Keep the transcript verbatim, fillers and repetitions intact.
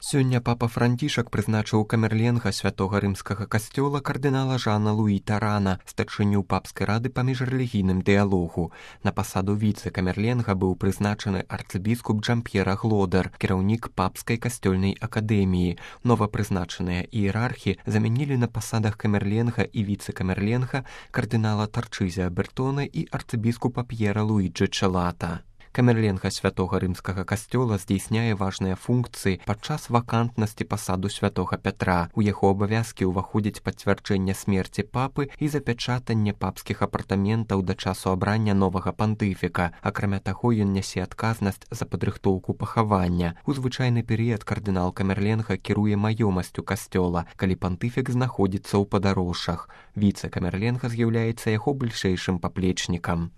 Сёння папа Францішак прызначыў камерленга святога рымскага касцёла кардынала Жана Луі Тарана, старшыню папскай рады па міжрэлігійным дыялогу. На пасаду віцэ-камерленга быў прызначаны арцыбіскуп Джамп'ера Глодар, кіраўнік папскай касцёльнай акадэміі. Новапрызначаныя іерархі замянілі на пасадах камерленга і віцэ-камерленга кардынала Тарчызя Бертона і арцыбіскупа П'ера Луіджы Чэлата. Камерленга святога рымскага касцёла здзейсняе важныя функцыі падчас вакантнасці пасаду святога Пятра. У яго абавязкі ўваходзіць пацвярджэнне смерці папы і запячатанне папскіх апартаментаў да часу абрання новага пантыфіка. Акрамя таго, ён нясе адказнасць за падрыхтоўку пахавання. У звычайны перыяд кардынал камерленга кіруе маёмасцю касцёла, калі пантыфік знаходзіцца ў падарожжах. Віцэ-камерленга з'яўляецца яго бліжэйшым паплечнікам.